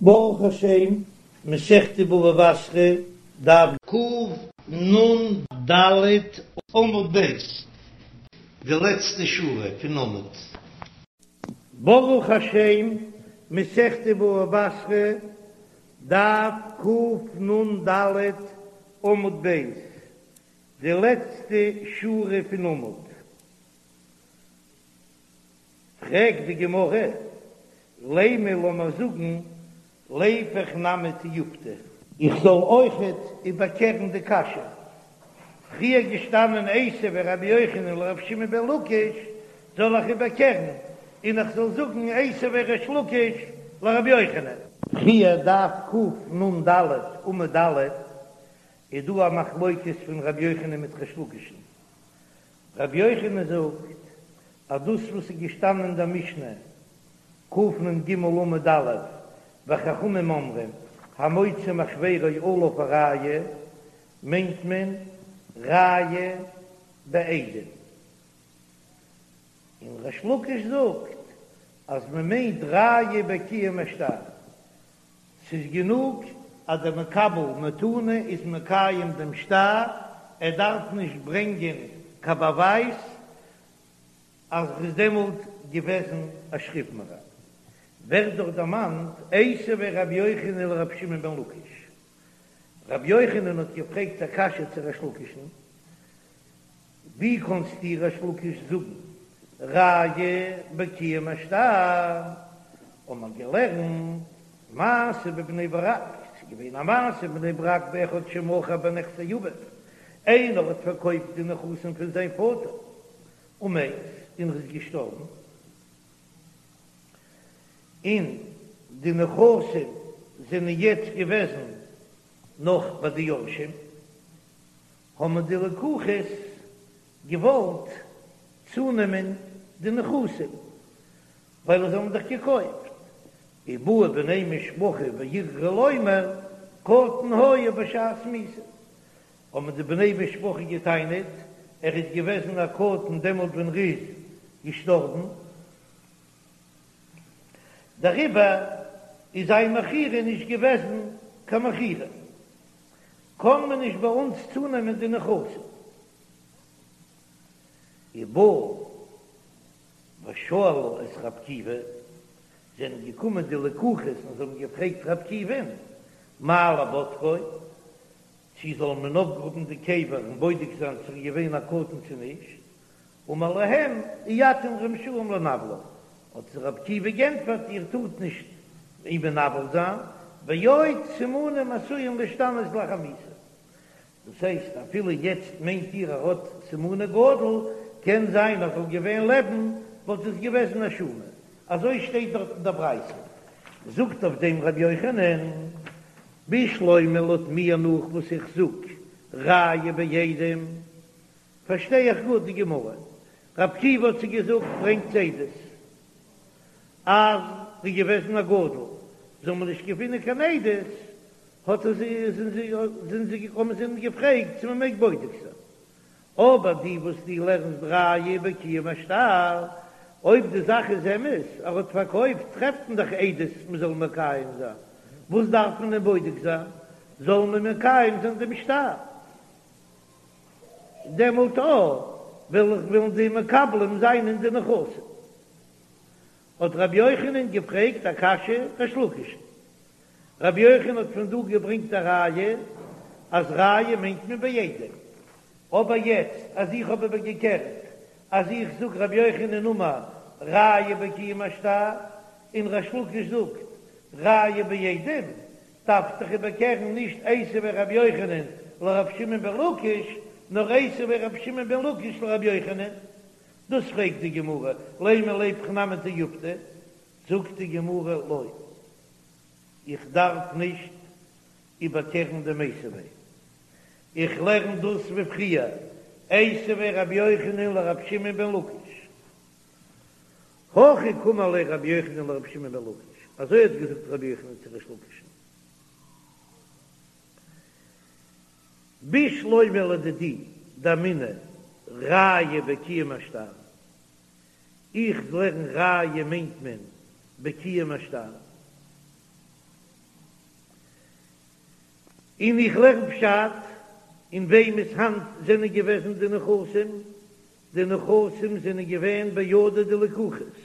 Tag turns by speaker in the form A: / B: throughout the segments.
A: ברוך השם, מסכת בבא בתרא, דף קנ"ד עמוד ב', די לעצטע שורה פון עמוד. ברוך השם, מסכת בבא בתרא, דף קנ"ד עמוד ב', די לעצטע שורה פון עמוד. פרעגט די גמרא, לימא לאמיר זאגן ליפוך נמי תיובתא. איך זאל אויכעט איבערקערן די קשיא, פריער געשטאנען איתיביה רבי יוחנן לרבי שמעון בן לקיש, זאל איך איבערקערן און איך זאל זאגן איתיביה ריש לקיש לרבי יוחנן? פריער דף קנ"ד עמוד א' איז דא א מחלוקת פון רבי יוחנן מיט ריש לקיש'ן, רבי יוחנן זאגט אז דאס וואס איז געשטאנען אין דער משנה, קנ"ג עמוד א', וחכמים אומרים, המוציא מחבירו עליו הראיה, מיינט מען ראיה בעדים. און ריש לקיש זאגט אז מען מיינט ראיה בקיום השטר. ס'איז גענוג אז דער מקבל מתנה איז מקיים דעם שטר, ער דארף נישט ברענגען קיין באווייז אז ר'איז דעמאלט געוועזן א שכיב מרע. ווערט דאך דערמאנט איתיביה רבי יוחנן לרבי שמעון בן לקיש. רבי יוחנן האט געפרעגט א קשיא צו ריש לקיש'ן, ווי קאנסטו ריש לקיש זאגן ראיה בקיום השטר? האט מען געלערנט מעשה בבני ברק, ס'איז געווען א מעשה אין בני ברק באחד שמכר בנכסי אביו, איינער האט פארקויפט די נכסים פון זיין פאטער ומת, און ער איז געשטארבן, און די נכסים זענען יעצט געוועזן נאך ביי די יורשים. האבן די לקוחות געוואלט צונעמען די נכסים ווייל זיי האבן דאך געקויפט, ובאו בני משפחה וערערו לומר קטן היה בשעת מיתה, האבן די בני משפחה געטענה'ט ער איז געוועזן א קטן דעמאלט ווען ר'איז געשטארבן, דעריבער איז זיין מכירה נישט געוועזן קיין מכירה. קען מען נישט ביי אונז צונעמען די נכסים. ובאו ושאלו את ר' עקיבא, זענען געקומען די לקוחות און זיי האבן געפרעגט ר' עקיבא'ן, מהו לבודקו, צו זאל מען אויפגראבן די קבר און בודק זיין צו ער איז געווען א קטן צו נישט, אמר להם אי אתם רשאים לנוולו, האט זיי ר' עקיבא גענטפערט איר טארט נישט אים מנוול זיין, ועוד סימנים עשויים להשתנות לאחר מיתה, דאס הייסט אפילו יעצט מיינט איר ער האט סימני גדול, קען זיין אז זאל געווען לעבן וואלט עס געוועזן א שומא, אזוי שטייט דארט אין דער ברייתא, זאגט אויף דעם רבי יוחנן, בשלמא לויט מיר נאך וואס איך זאג ראיה בעדים. פארשטיי איך גוט די גמרא? ר' עקיבא האט זיי געזאגט ברענגטס עדות אז ר'איז געוועזן א גדול, זאל מען נישט געפינען קיין עדות, האט ער זיי זענען זיי זענען זיי געקומען זיי האבן געפרעגט צו מען מעג בודק זיין, אבער די וואס דו לערנסט ראיה בקיום השטר, אויב די זאך איז אמת ער האט פארקויפט טרעפט מען דאך עדות מען זאל מקיים זיין, וואס דארף מען אים בודק זיין, זאל מען מקיים זיין דעם שטר. דעמאלט אויך וועל איך וועלן די מקבלים זיין אין די נכסים. האט רבי יוחנן געפרעגט א קשיא ריש לקיש'ן. רבי יוחנן האט פון דא געברענגט א ראיה אז ראיה מיינט מען בעדים. אבער יעצט אז איך האב איבערגעקערט אז איך זאג רבי יוחנן אמר ראיה בקיום השטר און ריש לקיש זאגט ראיה בעדים, דארף זיך איבערקערן נישט איתיביה רבי יוחנן לרבי שמעון בן לקיש, נאר איתיביה רבי שמעון בן לקיש לרבי יוחנן. דאס פרעגט די גמרא, לימא ליפוך נמי תיובתא, זאגט די גמרא לא, איך דארף נישט איבערקערן דעם איתיביה, איך לערן דאס ווי פריער, איתיביה רבי יוחנן לרבי שמעון בן לקיש. הכי קאמר ליה רבי יוחנן לרבי שמעון בן לקיש, אזוי האט געזאגט רבי יוחנן צו ריש לקיש'ן, בשלמא לדידי דאמינא ראיה בקיום השטר, איך לערן ראיה מיינט מען בקיום השטר. און איך לערן פשט, אין וועמענס האנט זענען געוועזן די נכסים? די נכסים זענען געווען בידי דלקוחות,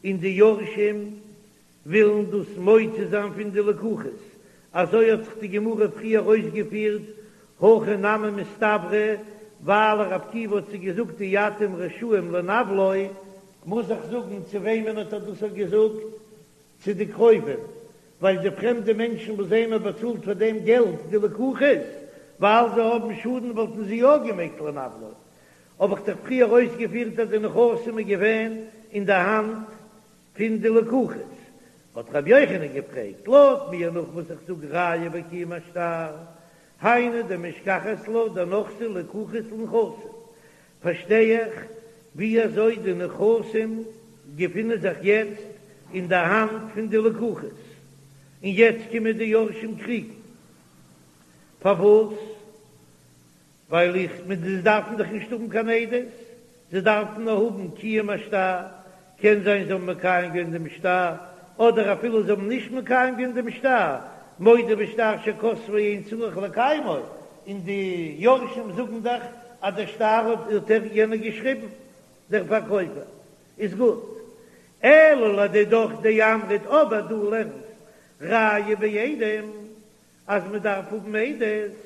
A: און די יורשים ווילן דאס מוציא זיין פון די לקוחות, אזוי האט זיך די גמרא פריער אויסגעפירט, הכי נמי מסתברא, ווייל ר' עקיבא האט זיי געזאגט אי אתם רשאים לנוולו, מוז איך זאגן צו וועמען האט ער דאס געזאגט? צו די קרובים, ווייל די פרעמדע מענטשן וואס זיי האבן באצאלט פאר דעם געלט די לקוחות, ווייל זיי האבן שאדן וואלטן זיי יא געמעגט לנוולו. האב איך דאך פריער אויסגעפירט אז די נכסים איז געווען אין די האנט פון די לקוחות. האט רבי יוחנן געפרעגט, לויט מיר נאך וואס איך זאג ראיה בקיום השטר, היינו דמשכחת לה דנחתי לקוחות לנכסים, פארשטיי איך ווי אזוי די נכסים געפינען זיך יעצט אין די האנט פון די לקוחות, און יעצט קומען די יורשים קריגן. פארוואס? ווייל איך מיט זיי דארפן דאך נישט האבן קיין עדות, זיי דארפן נאר האבן קיום השטר, קען זיין זיי האבן מקיים געווען דעם שטר, אדער אפילו זיי האבן נישט מקיים געווען דעם שטר, מודה בשטר שכתבו אין צריך לקיימו, און די יורשים זאגן דאך אז דער שטר האט ער יענער געשריבן, דער פארקויפער, איז גוט. אלא לדידך דאמרת אבער דו לערנסט ראיה בעדים אז מען דארף האבן עדות,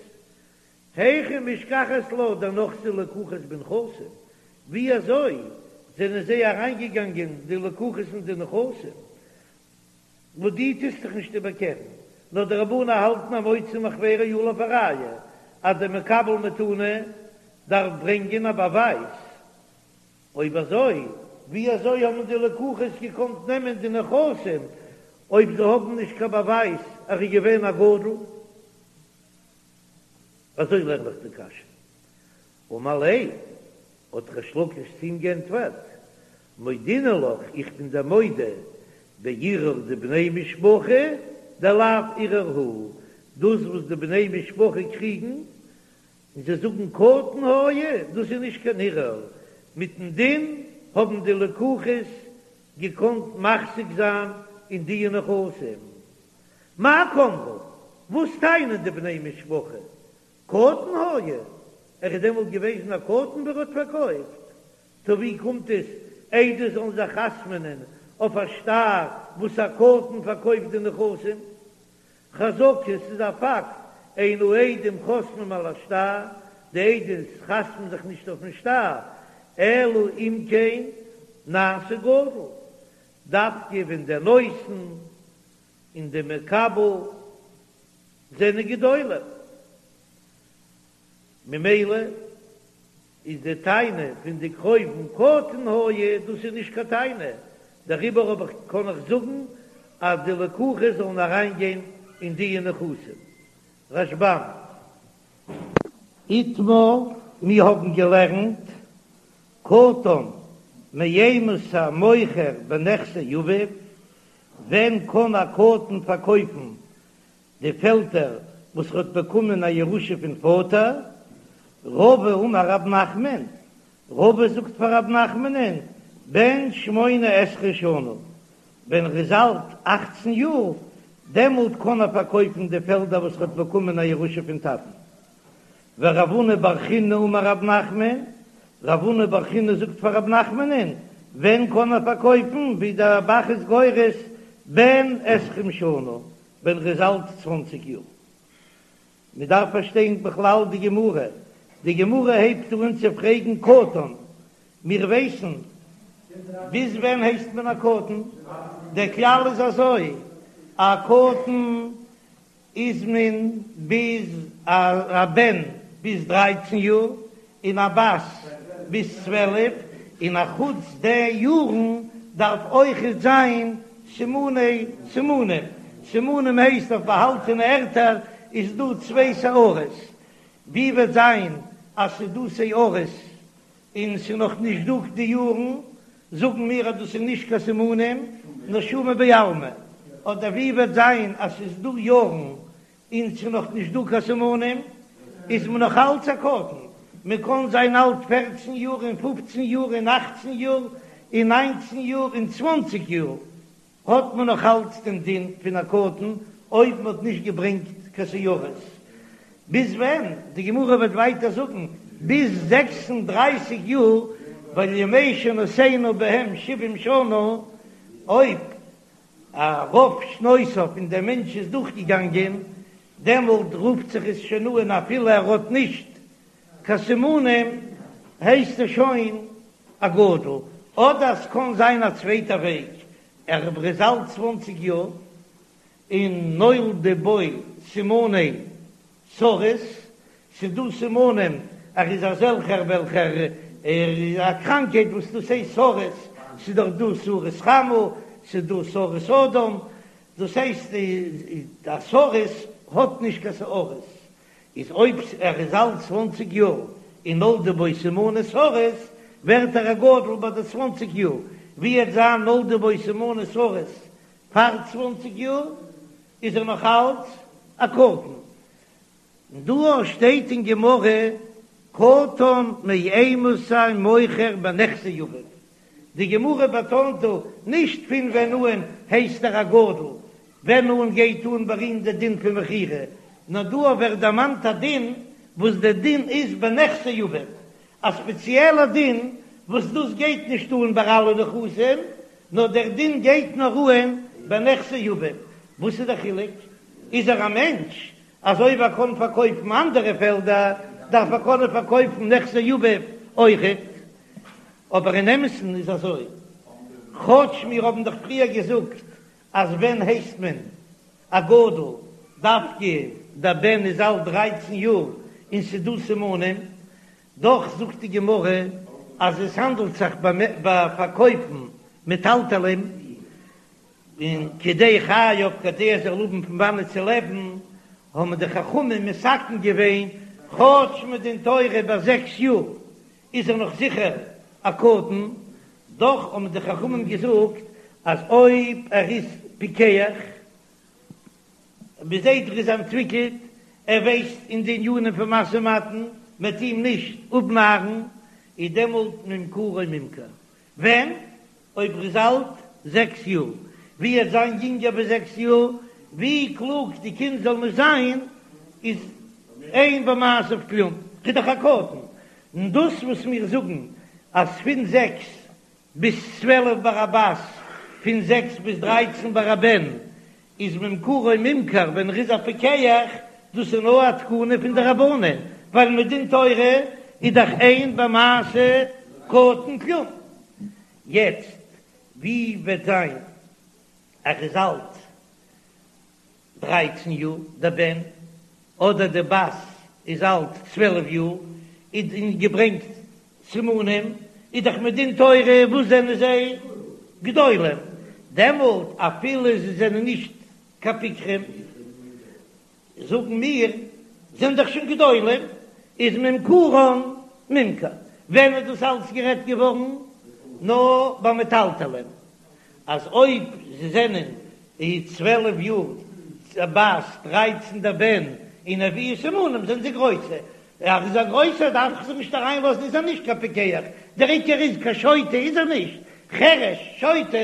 A: היכי משכחת לה דנחתי לקוחות בנכסים, ווי אזוי זענען זיי אריינגעגאנגען די לקוחות אין די נכסים? וואס דו טוסט זיך נישט איבערקערן, נאר די רבנן האלטן המוציא מחבירו עליו הראיה, אז דער מקבל מתנה דארף ברענגען א באווייז. אויב אזוי, ווי אזוי האבן די לקוחות געקאנט נעמען די נכסים אויב זיי האבן נישט קיין באווייז אז ער איז געווען א גדול? אזוי לערן איך די קשיא. אמר ליה, האט ריש לקיש צו אים געענטפערט, מודינא לך, איך בין דיר מודה, בערעור דבני משפחה דלאו ערעור הוא, דאס וואס די בני משפחה קריגן און זיי זאגן קטן היה, דאס איז נישט קיין ערעור, מיטן דין האבן די לקוחות געקאנט מחזיק זיין אין די נכסים. מאי קאמרי, וואס טענה'ן די בני משפחה? קטן היה, ער איז דעמאלט געוועזן א קטן ווען ער האט פארקויפט, טא ווי קומט עס עדות זאלן זיך חתמ'נען אויף א שטר וואס א קטן פארקויפט די נכסים? חזקה, ס'איז א פאקט, אין העדים חותמים על השטר, די עדות חתמ'ן זיך נישט אויפן שטר, אלא אם כן נעשה גדול, דווקא ווען דער נותן און די מקבל זענען גדולים, ממילא איז די טענה פון די קרובים קטן היה, דאס איז נישט קיין טענה, דעריבער האב איך קען איך זאגן אז די לקוחות זאלן אריין גיין אין די נכסים. רשב"ם. איתמר, מיר האבן געלערנט קטן מאימתי מוכר בנכסי אביו, ווען קען א קטן פארקויפן די פעלדער וואס ער האט באקומען א ירושה פון פאטער? רבא אמר רב נחמן, רבא זאגט פאר רב נחמנ'ן, בן שמונה עשרה שנה, ווען ער איז אלט אכצן יאר, דעמאלט קען ער פארקויפן די פעלדער וואס ער האט באקומען א ירושה פון טאטן. ורב הונא בר חיננא אמר רב נחמן, רב הונא בר חיננא זאגט פאר רב נחמנ'ן, ווען קען ער פארקויפן, ווי דער ב"ח איז גורס, בן עשרים שנה, ווען ער איז אלט צוואנציג יאר. מען דארף פארשטיין בכלל די גמרא, די גמרא הייבט אן צו פרעגן קטן, מיר ווייסן ביז ווען הייסט מען א קטן, דער כלל איז אזוי, א קטן איז מען ביז א בן ביז דרייצן יאר, און א בת ביז 12, און א חוץ די יארן דארף אויכעט זיין סימני סימנים, סימנים הייסט אויף באהאלטענע ערטער איז דא צוויי שערות, ווי וועט זיין אז ס'איז דא שערות און ס'איז נאך נישט דא די יארן, זאגן מיר אז דאס איז נישט קיין סימנים, נאר שומא בעלמא, אדער ווי וועט זיין אז ס'איז דא יארן און ס'איז נאך נישט דא קיין סימנים, איז מען נאך אלץ א קטן, מען קען זיין אלט פערצן יאר און פופצן יאר און אכצן יאר און ניינצן יאר און צוואנציג יאר, האט מען נאך אלץ דעם דין פון א קטן אויב מען האט נישט געברענגט קיין שערות. ביז ווען? די גמרא וועט ווייטער זאגן ביז 36 יאר, ווייל ימי שנותינו בהם שבעים שנה, אויב א רוב שנותיו פון דעם מענטש איז דורכגעגאנגען, דעמאלט רופט זיך עס שוין אן אפילו ער האט נישט קיין סימנים הייסט ער שוין א גדול, אדער ס'קען זיין א צווייטע וועג, ער איז אלט צוואנציג יאר און נולדו בו סימני סריס, ס'איז דא סימנים ער איז אזעלכער וועלכער איז א קראנקהייט וואס דאס הייסט סריס, ס'איז דאך דא סריס חמה, ס'איז דא סריס אדם, דאס הייסט א סריס האט נישט קיין שערות, איז אויב ער איז אלט צוואנציג יאר און נולדו בו סימני סריס, ווערט ער א גדול ביי די צוואנציג יאר, ווי עט זיין נולדו בו סימני סריס פאר צוואנציג יאר איז ער נאך אלץ א קטן. און דא שטייט אין גמרא קטן מאימתי מוכר בנכסי אביו, די גמרא באטאנט דא נישט פון ווען אן הייסט ער א גדול, ווען אן גייט אן ביי אים די דין פון מכירה, נאר דא ווערט דערמאנט א דין וואס די דין איז בנכסי אביו, א ספעציעלע דין וואס דאס גייט נישט אן ביי אלע נכסים, נאר דער דין גייט נאר אן בנכסי אביו. וואס איז דער חילוק? איז ער א מענטש אז אויב ער קען פארקויפן אנדערע פעלדער דארף ער קענען פארקויפן נכסי אביו אויכעט? אבער אין אמת'ן איז אזוי, כאטש מיר האבן דאך פריער געזאגט אז ווען הייסט מען א גדול דווקא דער בן איז אלט דרייצן יאר און ס'איז דא סימנים, דאך זאגט די גמרא אז עס האנדלט זיך ביי פארקויפן מטלטלין און כדי חייו כדי ער זאל האבן פון וואנעט צו לעבן, האבן די חכמים מתקן געווען כאטש מדין תורה ביי זעקס יאר איז ער נאך זיכער א קטן, דאך האבן די חכמים געזאגט אז אויב ער איז פיקח, מ'זעט ער איז אנטוויקלט, ער ווייסט אין די ענינים פון משא ומתן, מ'עט אים נישט אפנארן, איז דעמאלט ממכרו ממכר. ווען? אויב ער איז אלט זעקס יאר. ווי עט זיין יונגער ווי זעקס יאר, ווי קלוג די קינד זאל נישט זיין, איז אין במעשיו כלום, ס'איז דאך א קטן. און דאס וואס מיר זאגן אז פון זעקס ביז 12 ביי א בת, פון זעקס ביז דרייצן ביי א בן, איז ממכרו ממכר ווען ער איז א פיקח, דאס איז נאר א תקנה פון די רבנן, ווייל מדין תורה איז דאך אין במעשה קטן כלום. יעצט ווי וועט זיין ער איז אלט דרייצן יאר דער בן, אדער די בת איז אלט 12 יאר, און געברענגט סימנים, איז דאך מדין תורה וואס זענען זיי? גדולים, דעמאלט אפילו זיי זענען נישט קיין פיקחים, זאגן מיר, זענען דאך שוין גדולים, איז ממכרן ממכר. ווען איז דאס אלץ גערעדט געווארן? נאר ביי מטלטלין, אז אויב זיי זענען 12 יאר בת, דרייצן דער בן, און הביאו סימנים זענען זיי גרויסע, ער איז א גרויסער דארף איך זיך נישט אריינלאזן איז ער נישט קיין פיקח, דער עיקר איז קיין שוטה איז ער נישט, חרש שוטה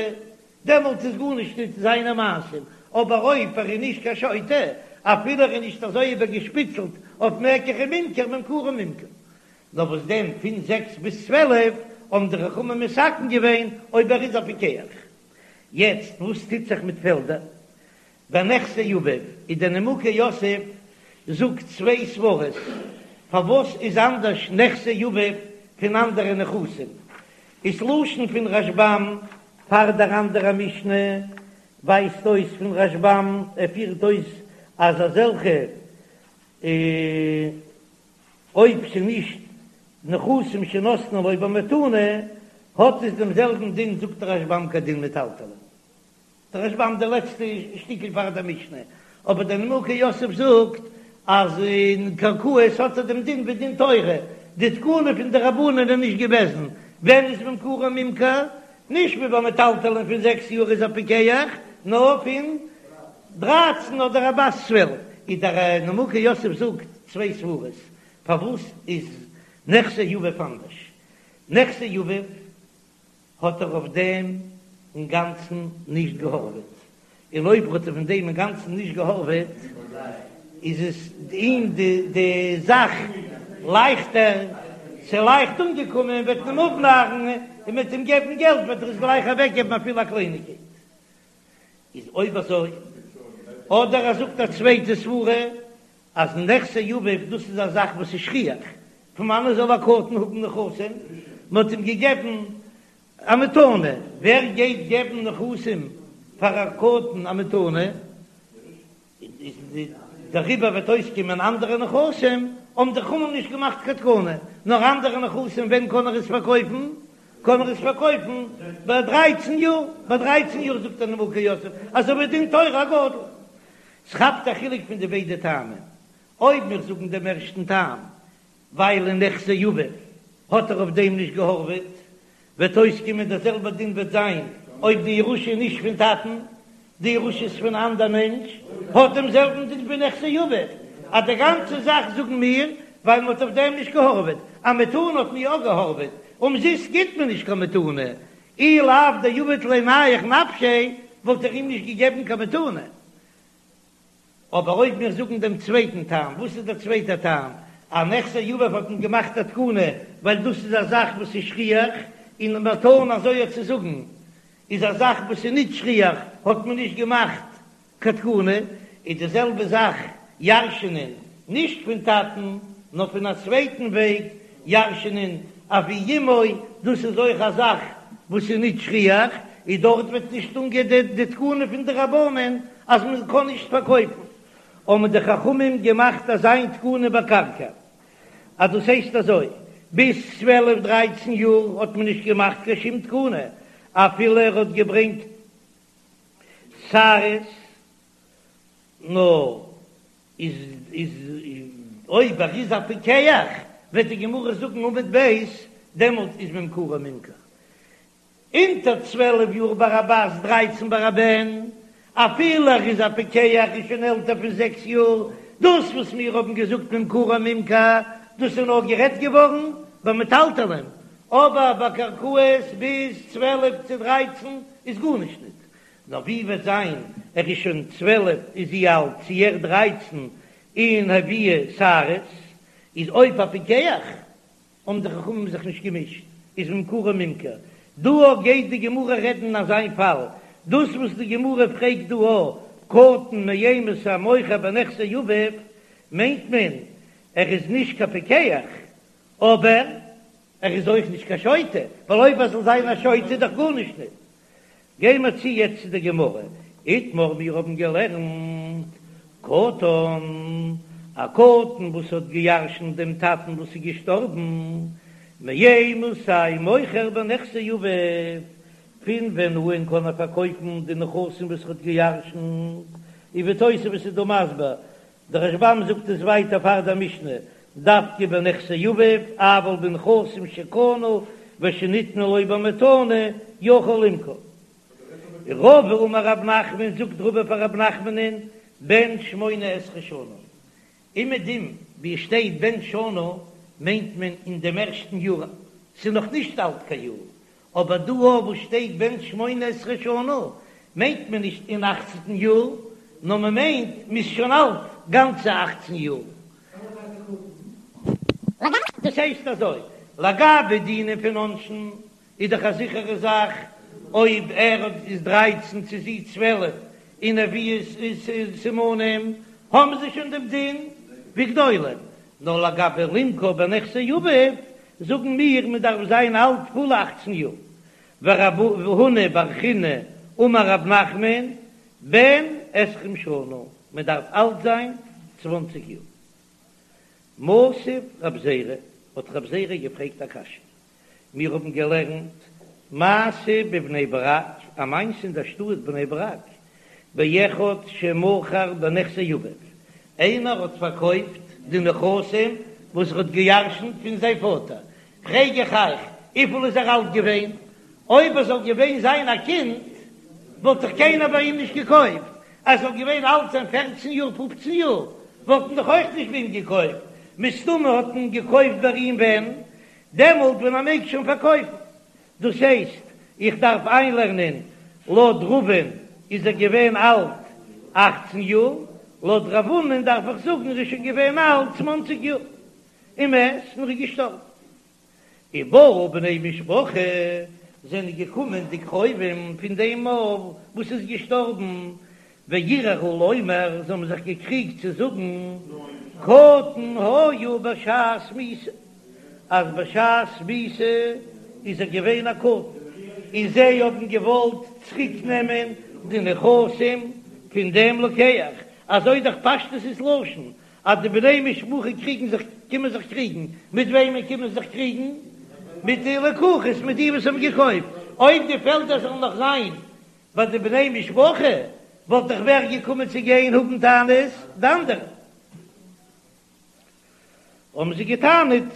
A: דעמאלטס איז גארנישט נישט זיינע מעשים, אבער אויב ער איז נישט קיין שוטה אפילו ער איז נישט אזוי איבערגעשפיצלט אויף מקח וממכר ממכרו ממכר. נאר וואס דען פון זעקס ביז 12 האבן די חכמים מתקן געווען אויב ער איז א פיקח. יעצט וואס טוט זיך מיט פעלדער? בנכסי אביו איז דער נימוקי יוסף זאגט צוויי סברות פארוואס איז אנדערש נכסי אביו פון אנדערע נכסים, איז לשון פון רשב"ם פאר דער אנדערע משנה ווייזט אויס פון רשב"ם ער פירט אויס אז אזעלכע אויב ס'נישט נכסים שנתנו לו במתנה האט עס דעם זעלבן דין זאגט רשב"ם כדין מטלטלין. דער רשב"ם די לעצטע שטיקל פאר דער משנה, אבער דער נימוקי יוסף זאגט אז אין קרקעות האט ער דעם דין ווי דין תורה, די תקנה פון די רבנן איז נישט געוועזן, ווען איז ממכרו ממכר? נישט ווי ביי מטלטלין פון זעקס יאר איז א פיקח, נאר פון דרייצן אדער א בת 12, איז דער נימוקי יוסף זאגט צוויי סברות פארוואס איז נכסי אביו אנדערש, נכסי אביו האט ער אויף דעם אינגאנצן נישט געהארוועט, און אויב האט ער פון דעם אינגאנצן נישט געהארוועט. איז עס אים די די זאך לייכטער, ס'איז לייכט אנגעקומען, וועט מען אים אפנארן און מ'וועט אים געבן געלט וועט ער עס גלייך אוועקגעבן אפילו א קלייניגקייט. איז אויב אזוי, אדער ער זאגט א צווייטע סברה אז נכסי אביו דאס איז א זאך וואס איז שכיח, פון וואנען זאל א קטן האבן נכסים? מען האט אים געגעבן א מתנה, ווער גייט געבן נכסים פאר א קטן א מתנה? איז דעריבער וועט אויסקומען אנדערע נכסים, האבן די חכמים נישט געמאכט קיין תקנה, נאר אנדערע נכסים ווען קען ער עס פארקויפן? קען ער עס פארקויפן ביי דרייצן יאר, ביי דרייצן יאר זאגט דער נימוקי יוסף אזוי ווי דין תורה א גדול. ס'כאפט א חילוק פון די ביידע טעמים, אויב מיר זאגן דעם ערשטן טעם ווייל אין נכסי אביו האט ער אויף דעם נישט געהארוועט, וועט אויסקומען דער זעלבער דין וועט זיין אויב די ירושה איז נישט פון טאטן, די ירושה איז פון אנדער מענטש, האט דעם זעלבן דין ווי נכסי אביו, אז די גאנצע זאך זאגן מיר ווייל מען האט אויף דעם נישט געהארוועט, א מתנה האט מען יא געהארוועט, אומזיסט גיט מען נישט קיין מתנה, אי לאו דעביד ליה נייח נפשיה וואלט ער אים נישט געגעבן קיין מתנה. אבער אויב מיר זאגן דעם צווייטן טעם, וואס איז דער צווייטער טעם? אז נכסי אביו האט מען געמאכט א תקנה ווייל דאס איז א זאך וואס איז שכיח, און מתנה אזוי אויך צו זאגן איז א זאך וואס איז נישט שכיח האט מען נישט געמאכט קיין תקנה, איז די זעלבע זאך ירש'נען נישט פון טאטן נאר פון א צווייטן וועג ירש'נען אבי אמו, דאס איז אויך א זאך וואס איז נישט שכיח, און דארט וועט נישט אנגיין די תקנה פון די רבנן אז מען קען נישט פארקויפן, האבן די חכמים געמאכט אזא תקנה בקרקע, אז דאס הייסט אזוי, ביז צוועלף דרייצן יאר האט מען נישט געמאכט קיין שום תקנה, אפילו ער האט געברענגט שערות, נאר איז איז אויב ער איז א פיקח וועט די גמרא זאגן עמוד ב', דעמאלט איז ממכרו ממכר. אונטער 12 יאר ביי א בת, דרייצן ביי א בן, אפילו ער איז א פיקח איז שוין עלטער פון זעקס יאר, דאס וואס מיר האבן געזאגט ממכרו ממכר, דאס איז נאר גערעדט געווארן ביי מטלטלין, אבער ביי קרקעות ביז 12 צו דרייצן איז גארנישט ניט. נאר ווי וועט זיין ער איז שוין 12 איז זי אלט צו ער דרייצן און הביאה שערות, איז אויב א פיקח האבן די חכמים זיך נישט געמישט, איז ממכרו ממכר. דא אויך גייט די גמרא רעדן אין אזיין פאל, דאס וואס די גמרא פרעגט דא א קטן מאימתי מוכר בנכסי אביו, מיינט מען ער איז נישט קיין פיקח, אבער ער איז אויך נישט קיין שוטה, ווייל אויב ער זאל זיין א שוטה איז דאך גארנישט ניט. גיי מיר צו יעצט צו די גמרא, איתמר מיר האבן געלערנט קטן, א קטן וואס האט געירשנט דעם טאטן וואס איז געשטארבן, מאימתי מוכר בנכסי אביו, פון ווען אן קען ער פארקויפן די נכסים וואס ער האט געירשנט, און ווי תוספות איז דא מסביר דער רשב"ם זאגט עס ווייטער פאר דער משנה, דווקא בנכסי אביו, אבל בנכסים שקנה ושניתנו לו במתנה יכול למכור. רבא אמר רב נחמן, זאגט רבא פאר רב נחמנ'ן, בן שמונה עשרה שנה. אומעדום ווי עס שטייט בן שנה מיינט מען אין דעם ערשטן יאר, ס'איז נאך נישט אלט קיין יאר, אבער דא וואו שטייט בן שמונה עשרה שנה מיינט מען נישט אין אכצנטן יאר, נאר מען מיינט מ'איז שוין אלט גאנצע אכצן יאר. דאס הייסט אזוי, לגבי דינים פון עונשין איז דאך א זיכערע זאך אויב ער איז דרייצן צו זי 12 און הביאו סימנים האבן זיי שוין דעם דין ווי גדולים, נאר לגבי למכור בנכסי אביו זאגן מיר מען דארף זיין אלט פולע אכצן יאר, ורב הונא בר חינא אמר רב נחמן בן עשרים שנה, מען דארף אלט זיין צוואנציג יאר. מתיב רב זירא, האט רב זירא געפרעגט א קשיא, מיר האבן געלערנט מעשה בבני ברק, א מעשה אין דער שטאט בני ברק, באחד שמכר בנכסי אביו, איינער האט פארקויפט די נכסים וואס ער האט געירשנט פון זיין פאטער, פרעג איך אייך, וויפיל איז ער אלט געווען? אויב ער זאל געווען זיין א קינד, וואלט דאך קיינער ביי אים נישט געקויפט, ער זאל געווען אלט זיין פערצן יאר פופצן יאר, וואלט מען דאך אויך נישט ביי אים געקויפט, מסתמא האט מען געקויפט ביי אים ווען? דעמאלט ווען ער מעג שוין פארקויפן. דאס הייסט, איך דארף איינלערנען, לויט רבא'ן איז ער געווען אלט אכצן יאר, לויט רב הונא'ן דארף איך זאגן ער איז שוין געווען אלט צוואנציג יאר ומת און ער איז געשטארבן. ובאו בני משפחה, זענען געקומען די קרובים פון דעם וואס איז געשטארבן, וערערו לומר, זיי האבן זיך געקריגט צו זאגן, קטן היה בשעת מיתה, אז בשעת מיתה איז ער געווען א קטן, און זיי האבן געוואלט צוריק נעמען די נכסים פון דעם לוקח, אזוי דאך פשטות איז לשון, אז די בני משפחה קריגן זיך, קומען זיך קריגן, מיט וועמען קומען זיך קריגן? מיט די לקוחות, מיט די וואס האבן געקויפט, אויב די פעלדער זאלן נאך זיין ביי די בני משפחה, וואלט דאך ווער געקומען צו גיין האבן טענות? די אנדערע. האבן זיי געטענה'ט,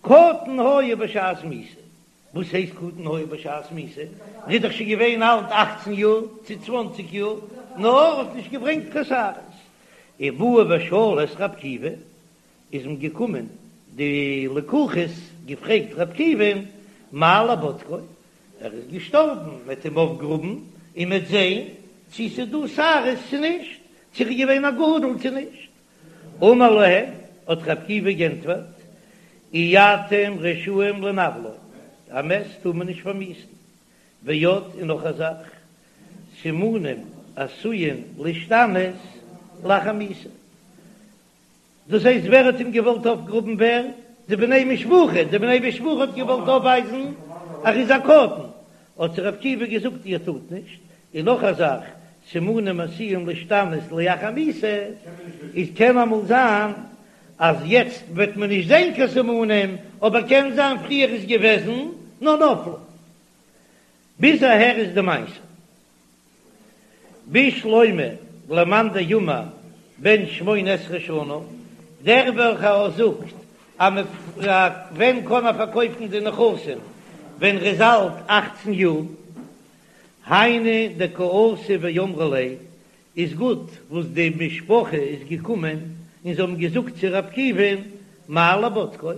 A: קטן היה בשעת מיתה. וואס הייסט קטן היה בשעת מיתה? ער איז דאך שוין געווען אלט אכצן יאר צו צוואנציג יאר, נאר האט נישט געברענגט קיין שערות. ובאו ושאלו את ר' עקיבא, איז מען געקומען די לקוחות געפרעגט ר' עקיבא'ן, מהו לבודקו, ער איז געשטארבן, מ'עט אים אויפגראבן און מ'עט זען צו ס'איז דא שערות צו נישט, צו ער איז געווען א גדול צו נישט. אמר להם, האט ר' עקיבא גענטפערט, אי אתם רשאים לנוולו, א מת טאר מען נישט פארמיאוסן. ועוד, און נאך א זאך, סימנים עשויים להשתנות לאחר מיתה. דאס הייסט ווער האט אים געוואלט אויפגראבן ווער? די בני משפחה, די בני משפחה האט געוואלט אויפווייזן אז ער איז א קטן, האט זיי ר' עקיבא געזאגט איר טארט נישט, און נאך א זאך, סימנים עשויים להשתנות לאחר מיתה, איז קען אמאל זיין אז יעצט וועט מען נישט זען קיין סימנים, אבער קען זיין פריער איז געוועזן נאר נפלו. ביז אהער איז די מעשה. בשלמא למאן דאמר בן שמונה עשרה שנה, דער וועלכער זאגט אז מען ווען קען ער פארקויפן די נכסים ווען ר'איז אלט אכצן יאר, היינו דקאתו ואמרו ליה, איז גוט וואס די משפחה איז געקומען און זיי האבן געזאגט צו ר' עקיבא'ן מהו לבודקו,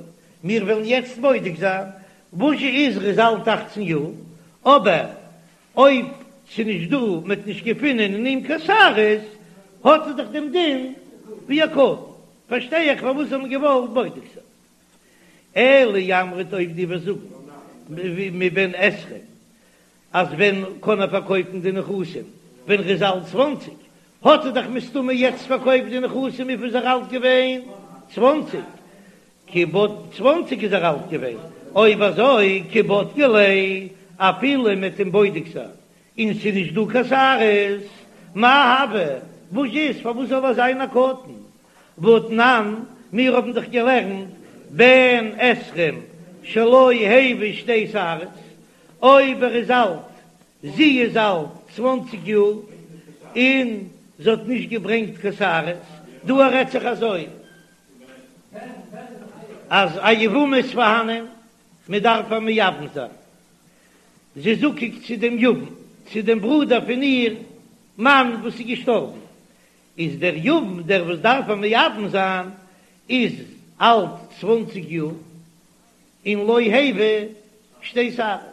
A: מיר וועלן יעצט בודק זיין וואס איז ר'איז אלט אכצן יאר, אבער אויב ס'נישט דא, מ'האט נישט געפונען אין אים קיין שערות, האט ער דאך דעם דין ווי א קטן. פארשטיי איך פארוואס זיי האבן געוואלט בודק זיין. אלא אי אמרת אויב דו וועסט זאגן מבן עשרים אז ווען קען ער פארקויפן די נכסים ווען ר'איז אלט צוואנציג, האט ער דאך מסתמא יעצט פארקויפט די נכסים וויפיל איז ער אלט געווען? צוואנציג. כי בד צוואנציג איז ער אלט געווען, אויב אזוי כי בדקו ליה אפילו מ'עט אים בודק זיין און ס'איז נישט דא קיין שערות, מאי הוי, וואס איז פארוואס זאל ער זיין א קטן? והתנן, מיר האבן דאך געלערנט בן עשרים שלא הביא שתי שערות, אויב ער איז אלט, זי איז אלט צוואנציג יאר און זי האט נישט געברענגט קיין שערות, דא רעדט זיך אזוי. אז א יבמה איז פארהאנען, מען דארף איר מייבם זיין, זי איז זקוק צו דעם יבם, צו דעם ברודער פון איר מאן וואס איז געשטארבן, איז דער יבם דער וואס דארף איר מייבם זיין איז אלט צוואנציג יאר, און לא הביא שתי שערות.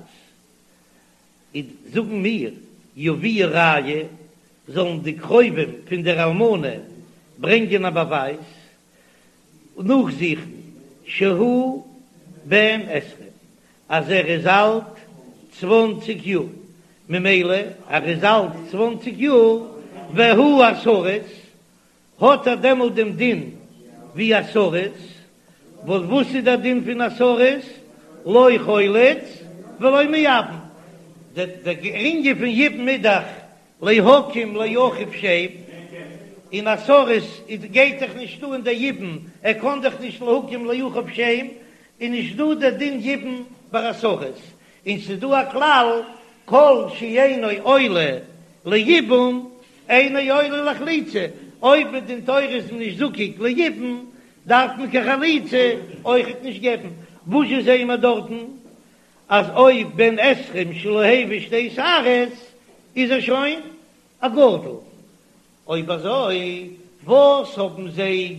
A: איז זאגן מיר, יביאו ראיה, זאלן די קרובים פון דער אלמנה ברענגען א באווייז, נאכזוכן, שהוא בן עשרים, אז ער איז אלט צוואנציג יאר, ממילא ער איז אלט צוואנציג יאר, והוא הסריס, האט ער דעמאלט דעם דין ווי א סריס, וואס וואס איז דער דין פון א סריס? לא חולץ ולא מייבם, דער ענין פון יבום איז דאך להקים לאחיו שם, און א סריס איז גייט דאך נישט אן דער יבום, ער קען דאך נישט להקים לאחיו שם, איז נישט דא דער דין יבום ביי א סריס, און ס'איז דא א כלל כל שאינו עולה ליבום אינו עולה לחליצה, אויב מדין תורה איז מען נישט זקוק ליבום דארף מען קיין חליצה אויכעט נישט געבן, וואזשע זעען מיר דארטן אז אויב בן עשרים שלא הביא שתי שערות איז ער שוין א גדול, אויב אזוי וואס האבן זיי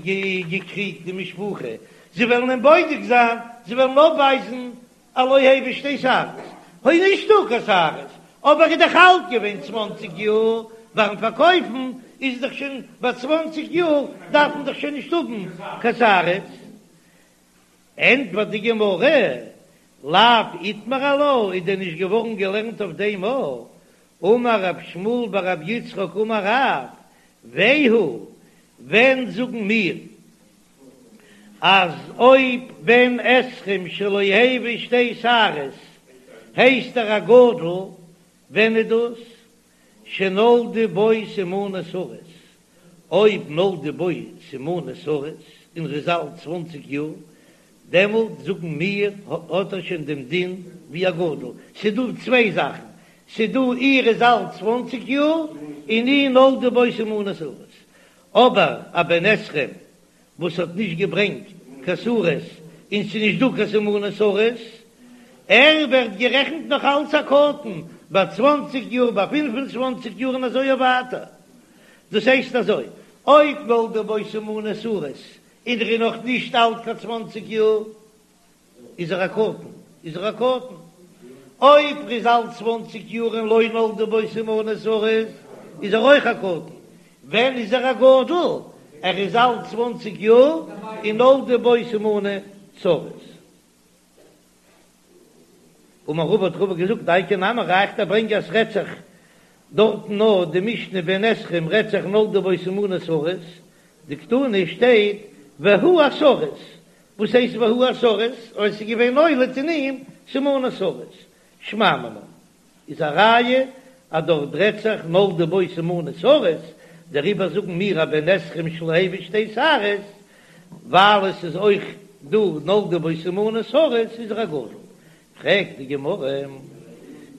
A: געקריגט די משפחה, זיי וועלן אים בודק זיין, זיי וועלן אויפווייזן אז לא הביא שתי שערות, אוי נישטא קיין שערות, אבער איז דאך אלט געווען צוואנציג יאר ביים פארקויפן. איז דאך שוין ביי צוואנציג יאר דארף מען דאך שוין נישט האבן קיין שערות. ענטפערט די גמרא, לאו איתמר עלה, איז דען נישט געווארן געלערנט אויף דעם א, אמר רב שמואל בר רב יצחק אמר רב, והוא, ווען זאגן מיר אז אויב בן עשרים שלא הביא שתי שערות הייסט ער א גדול, ווען איז דאס? שנולדו בו סימני סריס, אויב נולדו בו סימני סריס און ר'איז אלט צוואנציג יאר, דעמאלט זאגן מיר האט ער שוין דעם דין ווי א גדול. ס'איז דא צוויי זאכן, ס'איז דא אי ר'איז אלט צוואנציג יאר און אי נולדו בו סימני סריס, אבער א בן עשרים וואס האט נישט געברענגט קיין שערות און ס'איז נישט דא קיין סימני סריס, ער ווערט גערעכנט נאך אלץ א קטן ביי צוואנציג יאר, ביי פינף און צוואנציג יאר און אזוי ווייטער. דאס הייסט אזוי, אויב נולדו בו סימני סריס און ער איז נאך נישט אלט קיין צוואנציג יאר, איז ער א קטן, איז ער א קטן. אויב ער איז אלט צוואנציג יאר און לא נולדו בו סימני סריס, איז ער אויך א קטן. ווען איז ער א גדול? ער איז אלט צוואנציג יאר און נולדו בו סימני סריס. אמר רבא האט רבא געזאגט דייקא נמי ראיה איך ברענג אז ס'רעדט זיך דארטן נאר די משנה בן עשרים רעדט זיך נולדו בו סימני סריס, דקתני שטייט והוא הסריס, וואס הייסט והוא הסריס? אויב ס'איז געווען נולד אין אים סימני סריס, שמע מינה איז א ראיה אז דארט רעדט זיך נולדו בו סימני סריס, דעריבער זאגן מיר א בן עשרים שלא הביא שתי שערות, ווייל עס איז אויך דא נולדו בו סימני סריס איז ער א גדול. פרעגט די גמרא,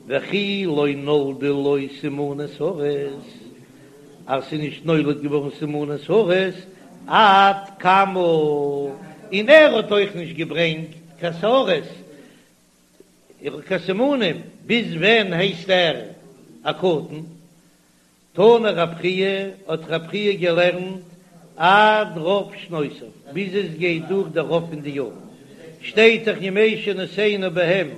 A: וכי לא נולדו לו סימני סריס, אז ס'איז נישט נולד געווארן סימני סריס עד כמה, און ער האט אויך נישט געברענגט קיין שערות, קיין סימנים, ביז ווען הייסט ער א קטן? תנא רב חייא, האט רב חייא געלערנט עד רוב שנותיו, ביז עס גייט דורך דער רוב פון די יארן, שטייט דאך ימי שנותינו בהם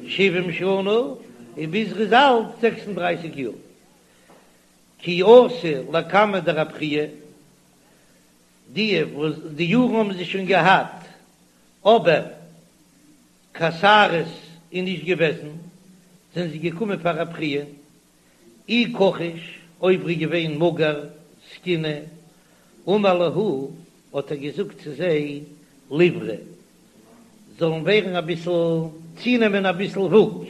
A: שבעים שנה, און ביז ר'איז אלט זעקס און דרייסיג יאר. כי אתו לקמיה דרב חייא, די וואס די יארן האבן זיי שוין געהאט, אבער קיין שערות איז נישט געוועזן, זענען זיי געקומען פאר רב חייא, אי כחיש, אויב ר'איז געווען מאגער, זקנה, אמר להו, האט ער געזאגט צו זיי, ליברו, זאלן ווערן אביסל, צונעמען אביסל וואג,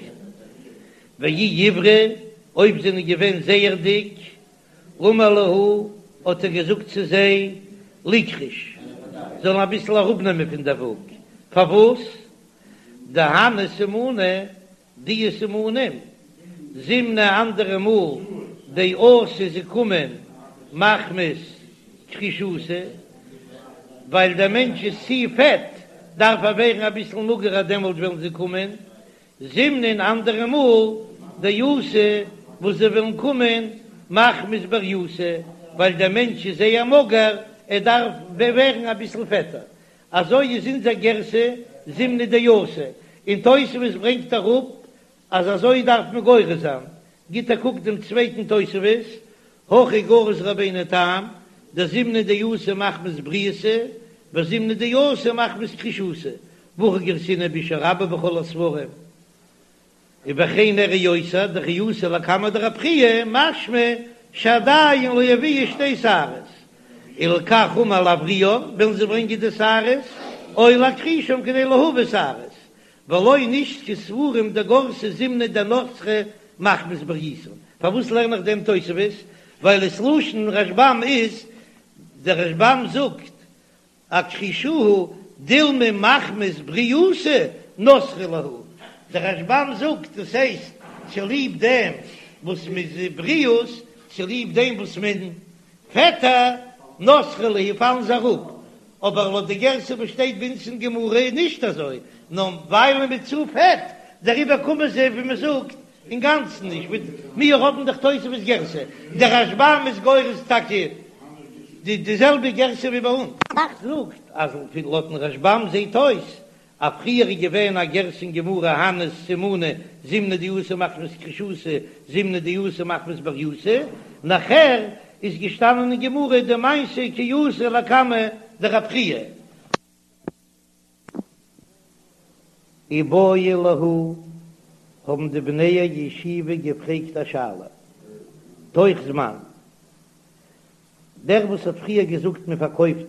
A: ואי עברי, אויב זענען געווען זייער דיק, אמר להו, האט ער געזאגט צו זיי, ליקרש, זאלן אביסל אראפנעמען פון דער וואג, פארוואס? דהני סימני, די סימנים, זימנא אנדערע מאל דאתו זיי קומען מחמת כרישותא, ווייל דער מענטש איז צו פעט דארף ער ווערן אביסל מאגערער דעמאלט וועלן זיי קומען, זימנין אנדערע מאל דאתו וואס זיי וועלן קומען מחמת בריותא, ווייל דער מענטש איז זייער מאגער ער דארף ווערן אביסל פעטער, אזוי איז אונזער גירסא זימנא דאתו, און תוספות ברענגט אראפ אז אזוי דארף מען גורס זיין, גיט א קוק דעם צווייטן תוספות, הכי גרס רבינו תם, דזימנא דאתו מחמת בריותא, וזימנא דאתו מחמת כרישותא, והכי גרסינן באושא רבה בכל הספרים. ובכן נראה יותר דכי אתו לקמיה דרב חייא משמע שעדיין לא הביאו שתי שערות, ולכך אמר להבריאן ווילן זיי ברענגען די שערות או להכחישם כדי להביא שערות, ולא נשתקו ספרים דגרסי זימנא דנתרי מחמת בריותן, פארוואס לערן איך דעם תוספות? ווייל עס לשון רשב"ם איז, דער רשב"ם זאגט אכחשוהו דילמא מחמת בריותא נתרי להו, דער רשב"ם זאגט דאס הייסט צוליב דעם וואס מ'איז בריאות, צוליב דעם וואס מען פעטער נתרי להו פאלן זיי אראפ, אבער לויט די גרסה וואס שטייט ביי אונז אין גמרא איז נישט אזוי, נאר ווייל מ'איז צו פעט דעריבער קומען זיי ווי מ'זאגט אינגאנצן נישט מיט מיר האבן דאך תוספות גרסה, דער רשב"ם איז גורס טאקע די די זעלבע גרסה ווי ביי אונז. ר"ך זאגט אז לויטן רשב"ם זעהט אויס אז פריער איז געווען א גרסה אין גמרא הני סימני זימנא דאתו מחמת כרישותא זימנא דאתו מחמת בריותא, נאכער. איז געשטאנען אין גמרא די מעשה כי אתא לקמיה דרב חייא. איבעיא להו, האבן די בני הישיבה געפרעגט א שאלה, תוך זמן, דער וואס האט פריער געזאגט מען פארקויפט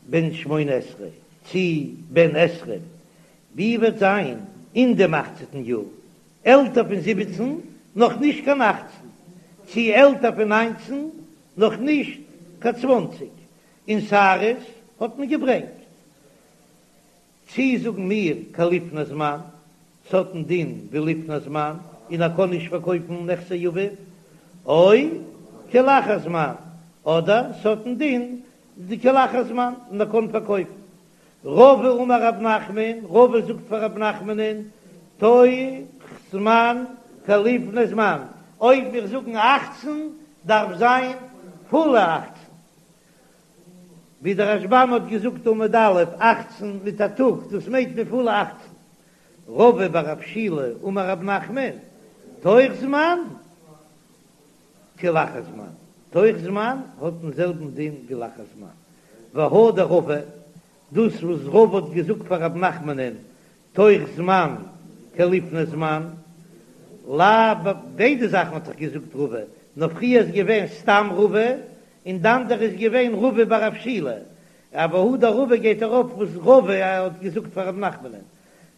A: בן שמונה עשרה צי בן עשרים, ווי וועט זיין אין דעם אכצעטן יאר, עלטער פון זיבעצן נאך נישט קיין אכצן, צי עלטער פון ניינצן נאך נישט קיין צוואנציג, און שערות האט מען געברענגט. צי זאגן מיר כלפני זמן, ס'האט א דין ווי לפני זמן און ער קען נישט פארקויפן נכסי אביו, או כלאחר זמן, אדער ס'האט א דין ווי כלאחר זמן און ער קען פארקויפן. רבא אמר רב נחמן, רבא זאגט פאר רב נחמנ'ן, תוך זמן כלפני זמן, אויב מיר זאגן אכצן דארף זיין פולע אכצן, ווי דער רשב"ם האט געזאגט עמוד א', אכצן מיט א טאג, דאס מיינט מען פולע אכצן. רבא בר רב שילא אמר רב נחמן, תוך זמן כלאחר זמן, תוך זמן האט דעם זעלבן דין ווי לאחר זמן. והא דרבא, דאס וואס רבא האט געזאגט פאר רב נחמנ'ן תוך זמן כלפני זמן, לאו, ביידע זאכן האט דאך געזאגט רבא, נאר פריער איז געווען סתם רבא, און די אנדערע איז געווען רבא בר רב שילא, אבער הא דרבא גייט ארויף וואס רבא האט געזאגט פאר רב נחמנ'ן,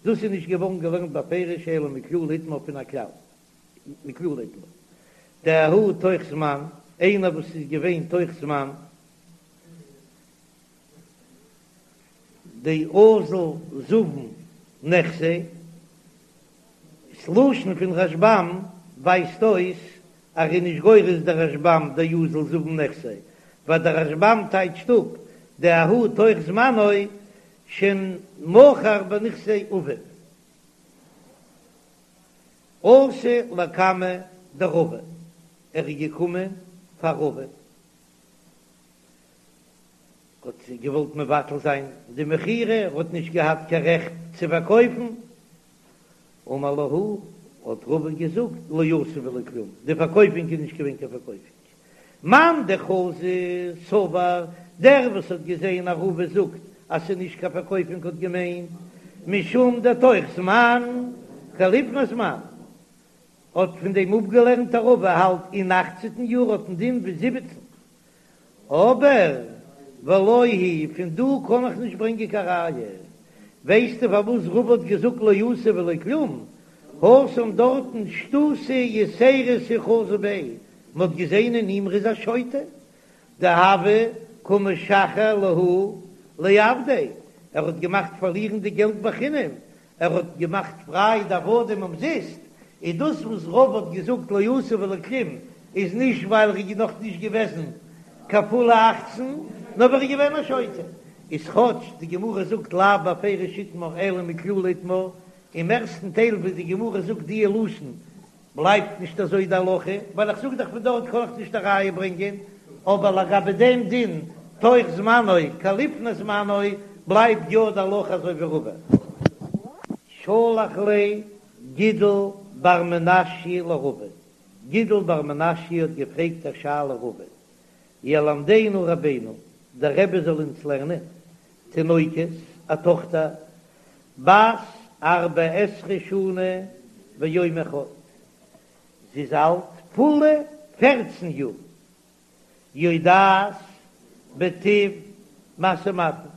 A: דאס איז נישט געווארן געלערנט בפירוש אלא מכלל איתמר פון א כלל, מכלל איתמר דההוא תוך זמן, איינער וואס איז געווען תוך זמן. דאזיל זבין נכסיה, ס'לשון פון רשב"ם ווייזט אויס אז ר'איז נישט גורס דער רשב"ם דאזיל זבין נכסיה, ווייל דער רשב"ם טייטשט אפ דההוא תוך זמנו שמכר בנכסי אביו. אתא לקמיה דרבא, ער איז געקומען פאר רבא. האט געוואלט מבטל זיין די מכירה, ער האט נישט געהאט קיין רעכט צו פארקויפן, אמר להו, האט רבא געזאגט, לא עשו ולא כלום, די פארקויפונג איז נישט געווען קיין פארקויפונג. מאן דחזא סבר, דער וואס האט געזען אז רבא זאגט אז ס'איז נישט קיין פארקויפונג האט געמיינט, משום דתוך זמן כלפני זמן, האט פון דעם אפגעלערנט אז רבא האלט אין אכצעטן יאר האט א דין ווי זיבעצן, אבער ולא היא פון דא קען איך נישט ברענגען קיין ראיה. ווייסטו פארוואס רבא האט געזאגט לא עשו ולא כלום? התם דארטן שטותא יתירתא חזו ביה, מען האט געזען אין אים ר'איז א שוטה, דהוה קא משחרר להו לעבדיה, ער האט געמאכט פארלירן די געלט בחינם, ער האט געמאכט פריי די עבדים אומזיסט, איז דאס וואס רבא האט געזאגט לא עשו ולא כלום איז נישט ווייל ער איז נאך נישט געוועזן קיין פולע אכצן, נאר ווייל ער איז געווען א שוטה. איז כאטש די גמרא זאגט לאו בפירוש איתמר אלא מכללא איתמר, אין מערסטן טייל וואס די גמרא זאגט דיע לשון בלייבט נישט אזוי די הלכה, ווייל איך זאג דאך פון דארט קען איך נישט א ראיה ברענגען, אבער לגבי דעם דין תוך זמנו כלפני זמנו בלייבט יא די הלכה אזוי ווי רבא. שלח ליה גידל בר מנשיא לרבא, גידל בר מנשיא האט געפרעגט א שאלה רבא, ילמדנו רבינו, דער רבי זאל אונז לערנען, תינוקת, א טאכטער, בת ארבע עשרה שנה ויום אחד, זי איז אלט פולע פערצן יאר, יודעת בטיב משא ומתן,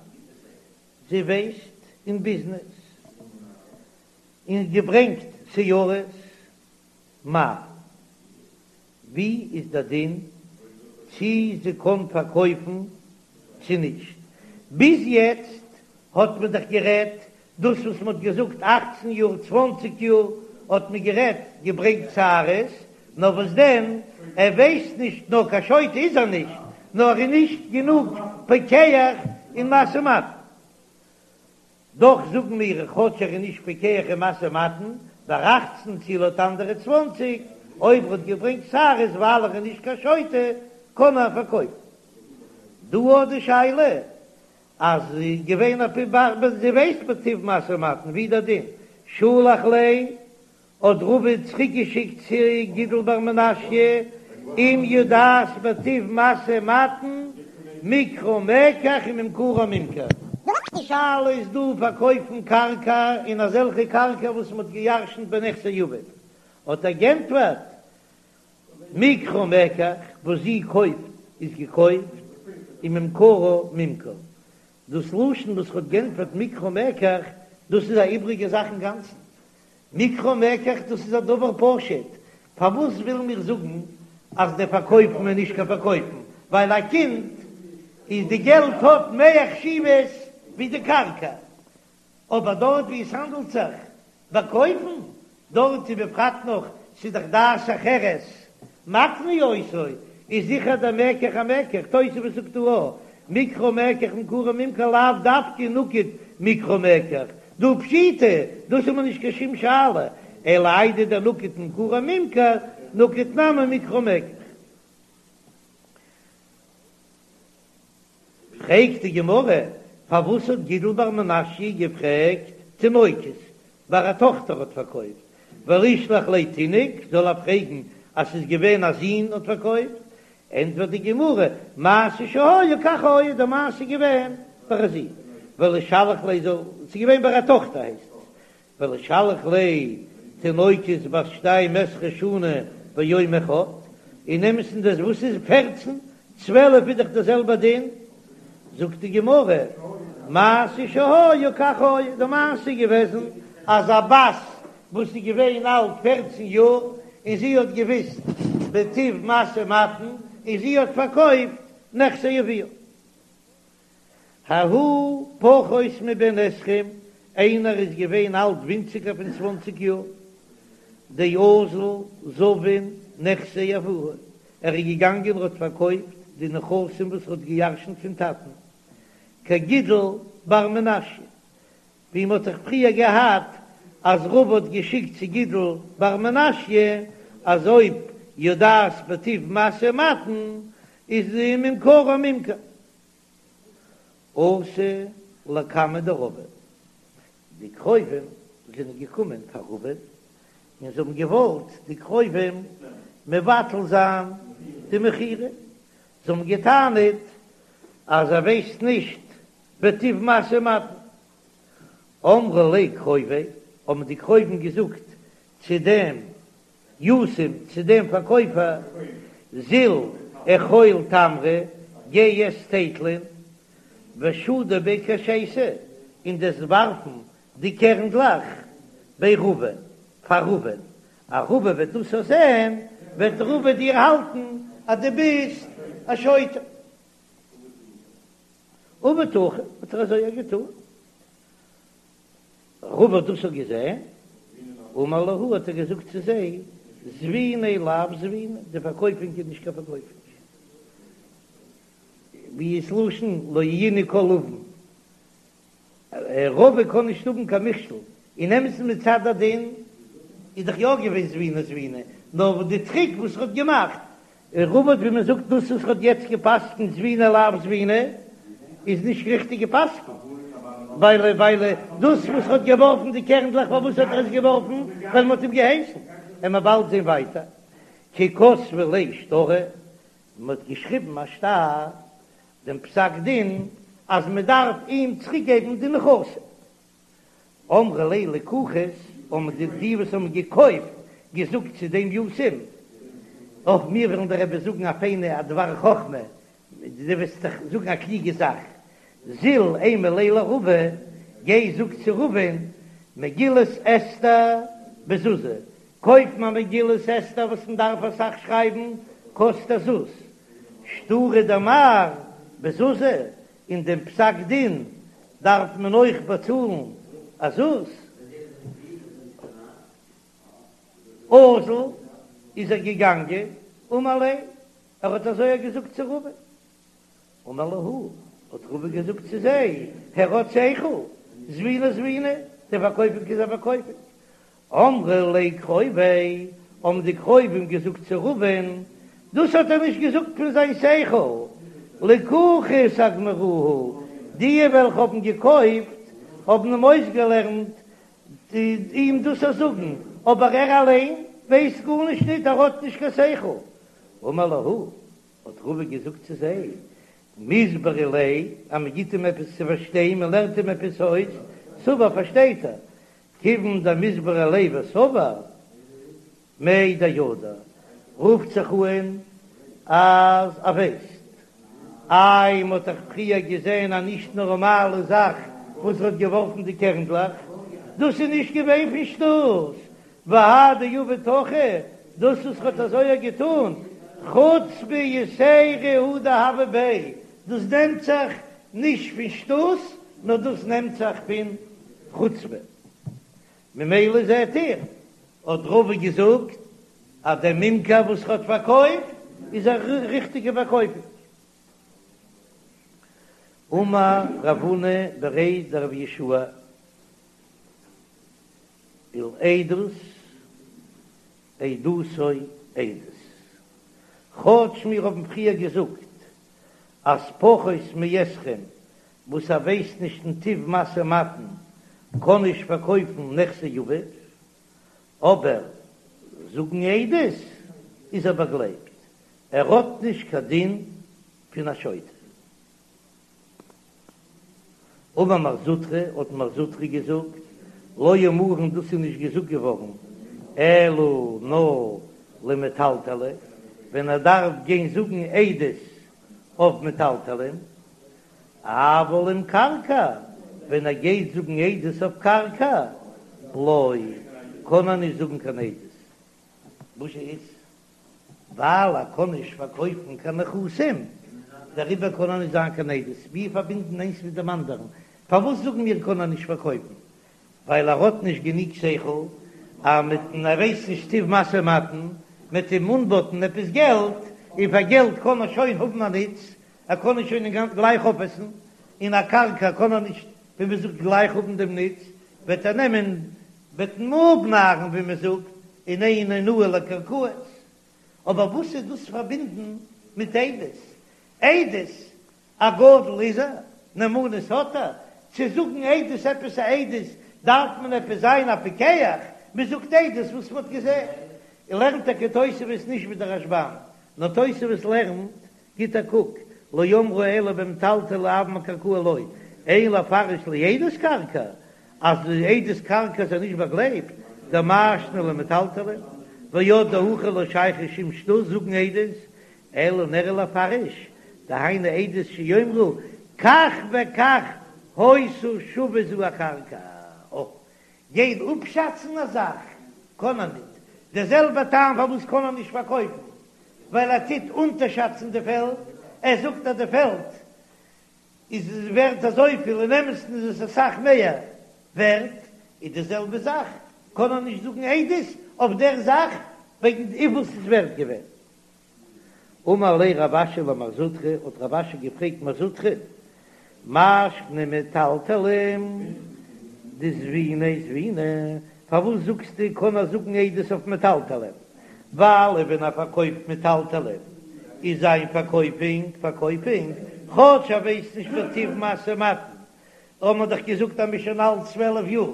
A: זי ווייסט אין ביזנעס, און געברענגט שערות, מהו, ווי איז דער דין צי זי קען פארקויפן צי נישט? ביז יעצט האט מען דאך גערעדט דאס וואס מען האט געזאגט אכצן יאר צוואנציג יאר האט מען גערעדט געברענגט שערות, נאר וואס דען ער ווייסט נישט נאר קיין שוטה איז ער נישט נאר ער איז נישט גענוג פיקח אין משא ומתן. דאך זאגן מיר כאטש ער איז נישט פיקח אין משא ומתן, ביי אכצן צי לויט אנדערע צוואנציג, אויב ער האט געברענגט שערות ווייל ער איז נישט קיין שוטה קען ער פארקויפן. דא האט די שאלה אז געווען א פ ב זי ווייסט בטיב משא ומתן ווי דער דין שלח ליה האט רבא צוריק געשיקט צו גידל בר מנשיא. אם יודעת בטיב משא ומתן, מקחו מקח וממכרה ממכר. די שאלה איז דא פארקויפן קרקע אין אזעלכע קרקע וואס מען האט געירשנט בנכסי אביו, האט ער גענטפערט מקחה מקח, וואס זי קויפט איז געקויפט, וממכרה ממכר. דאס לשון וואס ר'האט גענטפערט מקחה מקח, דאס איז א איבריגע זאך אינגאנצן. מקחה מקח דאס איז א דבר פשוט, פארוואס ווילן מיר זאגן אז דער פארקויפן איז נישט קיין פארקויפן, ווייל א קינד איז די געלט האט מער חשיבות ווי די קרקע, אבער דארט ווי עס האנדלט זיך ביי קויפן, דארט איז בפרט נאך ס'איז דאך דעת אחרת מקנה אותו, איז זיכער דער מקח א מקח, תוספות זאגט דא א, מקחה מקח וממכרה ממכר לאו דווקא נקט מקחה מקח, דהא פשיטא, דאס האט מען נישט קיין שום שאלה, אלא איידי דנקט ממכרה ממכר, נקט נמי מקחה מקח. פרעגט די גמרא, פארוואס האט גידל בר מנשיא געפרעגט תינוקות, ביי א טאכטער האט פארקויפט, ולישלח ליה תינוק, זאל ער פרעגן אז ס'איז געווען א זון האט פארקויפט, ענטפערט די גמרא, מעשה שהיה כך היה, די מעשה איז געווען ביי א זון, ולישלח ליה זאל, ס'איז געווען ביי א טאכטער הייסט עס, ולישלח ליה תינוקת בת שתים עשרה שנה ויום אחד, אין אמת'ן דאס וואס איז פערצן, צוועלף איז דאך דער זעלבער דין, זאגט די גמרא, מעשה שהיה כך היה, די מעשה איז געוועזן אז א בת וואס איז געווען אלט פערצן יאר און זי האט געוויסט בטיב משא ומתן און זי האט פארקויפט נכסי אביה. ההוא פחות מבן עשרים, איינער איז געווען אלט ווינציגער פון צוואנציג יאר, דאזל זבין נכסי אבוה, ער איז געגאנגען און האט פארקויפט די נכסים וואס ער האט געירשנט פון טאטן, כגידל בר מנשיא, ווי מ'האט דאך פריער געהאט אז רבא האט געשיקט צו גידל בר מנשיא אז אויב יודעת בטיב משא ומתן איז ממכרה ממכר. אתו לקמיה דרבא, די קרובים זענען געקומען פאר רבא און זיי האבן געוואלט די קרובים מבטל זיין די מכירה, זיי האבן געטענה'ט אז ער ווייסט נישט בטיב משא ומתן. אמרו ליה קרוביה, האבן די קרובים געזאגט צו דעם יתום, צו דעם פארקויפער, זיל אכול תמרי, גיי עס טייטלען, ושדי בי כשייתא, און דו'סט ווארפן די קערנדלעך בי רבא, פאר רבא'ן, אז רבא וועט דאס זען, וועט רבא דיר האלטן אז דו ביסט א שוטה. עבד הכי, האט ער אזוי געטאן. רבא האט דאס געזען, אמר להו האט ער געזאגט צו זיי, זביניה לאו זביני, די פארקויפונג איז נישט קיין פארקויפונג. ווי איז לשון לא יהי' כל און? רבא קען נישט האבן קיין מכשול, אין אמת'ן מצד הדין איז דאך יא געווען זביני זביני, נאר די טריק וואס ער האט געמאכט, רבא האט ווי מען זאגט דאס וואס ער האט יעצט געפסקנט זביני לאו זביני איז נישט ריכטיג געפסקנט, ווייל ווייל דאס וואס ער האט געווארפן די קערנדלעך פארוואס האט ער עס געווארפן ווייל מען האט אים געהייסן, עמיר באלד זען ווייטער כי כתבי ליה שטרא, מען האט געשריבן א שטר דעם פסק דין אז מען דארף אים צוריק געבן די נכסים. אמרי ליה לקוחות, האבן די די וואס האבן געקויפט געזאגט צו דעם יתום, אויך מיר וועלן דיר עפעס זאגן א פיינע א דבר חכמה, דו וועסט זיך זאגן א קלוגע זאך, זיל אימא ליה לרבא, גיי זאג צו רבא'ן, מגילת אסתר בזוזא, קויפן א מגילת אסתר וואס מען דארף אסאך שרייבן קאסט א זוז, שטרא דמר בזוזא, און דעם פסק דין דארף מען אויך באצאלן א זוז. אזל איז ער געגאנגען אמר ליה, ער האט אזוי געזאגט צו רבא. אמר להו, האט רבא געזאגט צו זיי, הער האט שכל, זביני זביני, די פארקויפונג איז א פארקויפונג. אמרי ליה קרוביה, האבן די קרובים געזאגט צו רבא'ן, דאס האט ער נישט געזאגט פון זיין שכל, לקוחות אגמרוה, די וועלכע האבן געקויפט האבן אים אויסגעלערנט אים דאס צו זאגן, אבער ער אליין ווייסט גארנישט ניט, ער האט נישט קיין שכל. אמר להו, האט רבא געזאגט צו זיי, מיסברא ליה, אז מען גיט אים עפעס צו פארשטיין, מען לערנט אים עפעס אויס, סבר פארשטייט ער, כיוון דמיסברא ליה וסבר, מידע ידע, רופט זיך אן אז ער ווייסט. איי מ'האט דאך פריער געזען א נישט נארמאלע זאך וואס האט געווארפן די קערנדלעך, דאס איז נישט געווען פון שטות, והא דעבד הכי, דאס וואס ר'האט אזוי געטון, חוצפה יתירה הוא דהוה ביה, דאס נעמט זיך נישט פון שטות, נאר דאס נעמט זיך פון חוצפה. ממילא זעט איר, האט רבא געזאגט אז דער ממכר וואס ר'האט פארקויפט איז א ריכטיגע פארקויפונג. אמר רב הונא בריה דרב יהושע ולעדות עדותו עדות. כאטש מיר האבן פריער געזאגט אז פחות מעשרים וואס ער ווייסט נישט אין טיב משא ומתן קען נישט פארקויפן נכסי אביו, אבער זאגן עדות איז ער באגלייבט, ער האט נישט קיין דין פון א שוטה. אמר מר זוטרא, האט מר זוטרא געזאגט, לא אמרן דאס איז נישט געזאגט געווארן אלא נאר למטלטלי, ווען ער דארף גיין זאגן עדות אויף מטלטלין, אבל למקרקעי, ווען ער גייט זאגן עדות אויף קרקע, לא, קען ער נישט זאגן קיין עדות. וואס איז? ווייל ער קען נישט פארקויפן קיין נכסים, דעריבער קען ער נישט זיין קיין עדות. מיר פארבינדן איינס מיט דעם אנדערן. פארוואס זאגן מיר קען ער נישט פארקויפן? ווייל ער האט נישט גענוג שכל, אז מיטן ער ווייסט נישט טיב משא ומתן, מ'עט אים אנבאטן עפעס געלט, און פאר געלט קען ער שוין האבן א נוץ, ער קען נישט שוין אינגאנצן גלייך אויפעסן, און א קרקע קען ער נישט ווי מען זאגט גלייך האבן דעם נוץ, וועט ער נעמען וועט אים אפנארן ווי מען זאגט, און אין אונאה לקרקעות. אבער וואס איז דאס פארבינדן מיט עדות? עדות, א גדול איז ער, נאמנות האט ער, צו זאגן עדות עפעס א עדות דארף מען עפעס זיין א פיקח, מען זאגט עדות וואס מען האט געזען, און לערנט טאקע תוספות נישט ווי דער רשב"ם, נאר תוספות לערנט גיט א קוק, לא אמרו אלא במטלטלי אבל במקרקעי לא, אין לפרש לעדות קרקע, אז די עדות קרקע איז ער נישט באגלייבט, דמאי שנא למטלטלין, ועוד דהכא לא שייך שום שטות זאגן עדות, אלא נראה לפרש, דהיינו עדות שיאמרו כך וכך היתה שווה זו הקרקע, אויך גיין אפשאצן א זאך קען ער ניט, דער זעלבער טעם פארוואס קען ער נישט פארקויפן, ווייל ער טוט אונטערשאצן די פעלד, ער זאגט אז די פעלד איז ווערט אזויפיל, אין אמת'ן איז עס אסאך מער ווערט, איז די זעלבע זאך קען ער נישט זאגן עדות אויף דער זאך וועגן וויפיל ס'איז ווערט געווען. אמר ליה רב אשי למר זוטרא, האט רב אשי געפרעגט מר זוטרא, מאי שנא מטלטלין דזביני זביני, פארוואס זאגסטו קען ער זאגן עדות אויף מטלטלין, ווייל ווען ער פארקויפט מטלטלין איז זיין פארקויפונג פארקויפונג, כאטש ער ווייסט נישט בטיב משא ומתן, האבן מיר דאך געזאגט אז מ'איז שוין אלט 12 יאר,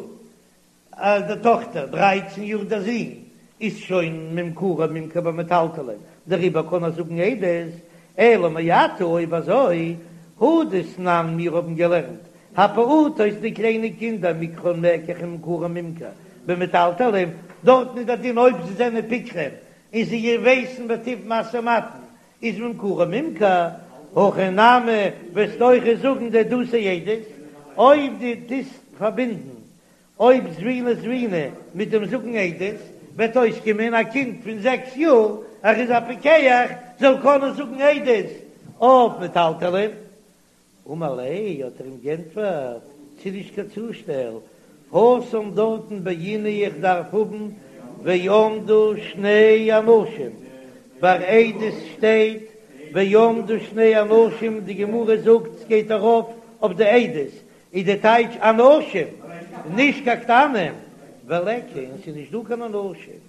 A: אז די טאכטער, דרייצן יאר דער זון, איז שוין ממכרו ממכר במטלטלין, דעריבער קען ער זאגן עדות, אלא מעתה אויב אזוי, הא דתנן מיר האבן געלערנט, הפעוטות די קליינע קינדער מקחן מקח וממכרן ממכר במטלטלין, דארטן איז דער דין אויב זיי זענען פיקחים און זיי ווייסן בטיב משא ומתן איז ממכרן ממכר, הכא נמי וועסטו אויך זאגן דעדותו עדות, אויב דו טוסט פארבינדן אויב זביני זביני מיט דעם זאגן עדות וועט אויסקומען א קינד פון זעקס יאר ער איז א פיקח זאל קענען זאגן עדות אויף מטלטלין. אמר ליה האט ער אים גענטפערט ס'איז נישט קיין צושטעל התם דארטן בעינא איך דארף האבן ועמדו שני אנשים ביי עדות שטייט ועמדו שני אנשים די גמרא זאגט ס'גייט ארויף אויף די עדות איז די טייטש אנשים, נישט קיין קטנים, וליכא און ס'איז נישט דא קיין אנשים.